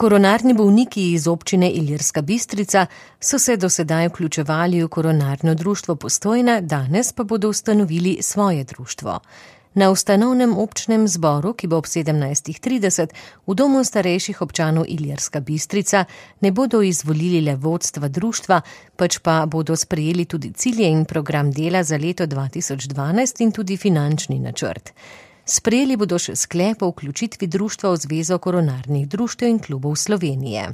Koronarni bolniki iz občine Ilirska Bistrica so se do sedaj vključevali v koronarno društvo Postojna, danes pa bodo ustanovili svoje društvo. Na ustanovnem občnem zboru, ki bo ob 17:30 v Domu starejših občanov Ilirska Bistrica, ne bodo izvolili le vodstva društva, pač pa bodo sprejeli tudi cilje in program dela za leto 2012 in tudi finančni načrt. Sprejeli bodo še sklep o vključitvi društva v Zvezo koronarnih društev in klubov Slovenije.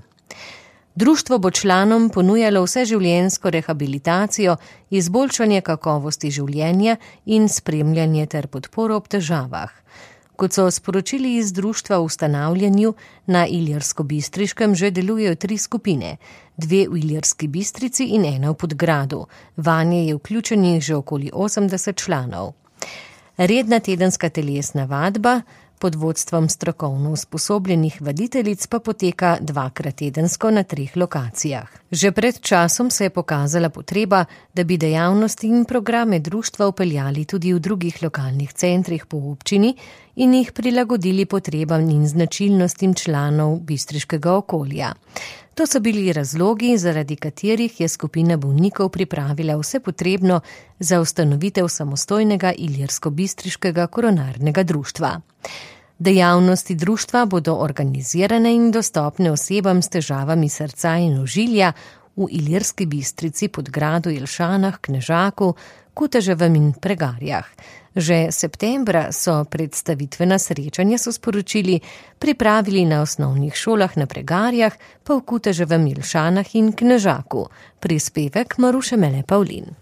Društvo bo članom ponujalo vseživljenjsko rehabilitacijo, izboljšanje kakovosti življenja in spremljanje ter podporo ob težavah. Kot so sporočili iz društva v ustanavljanju, na Ilirsko-Bistriškem že delujejo 3 skupine, 2 v Ilirski Bistrici in 1 v Podgradu. Vanje je vključenih že okoli 80 članov. Redna tedenska telesna vadba pod vodstvom strokovno usposobljenih vaditeljic pa poteka 2-krat tedensko na 3 lokacijah. Že pred časom se je pokazala potreba, da bi dejavnosti in programe društva vpeljali tudi v drugih lokalnih centrih po občini in jih prilagodili potrebam in značilnostim članov bistriškega okolja. To so bili razlogi, zaradi katerih je skupina bolnikov pripravila vse potrebno za ustanovitev samostojnega Ilirsko-Bistriškega koronarnega društva. Dejavnosti društva bodo organizirane in dostopne osebam s težavami srca in ožilja v Ilirski Bistrici, Podgradu, Jelšanah, Knežaku, Kuteževem in Pregarjah. Že septembra so predstavitvena srečanja, so sporočili, pripravili na osnovnih šolah na Pregarjah, pa v Kuteževem, Jelšanah in Knežaku. Prispevek Maruše Mele Pavlin.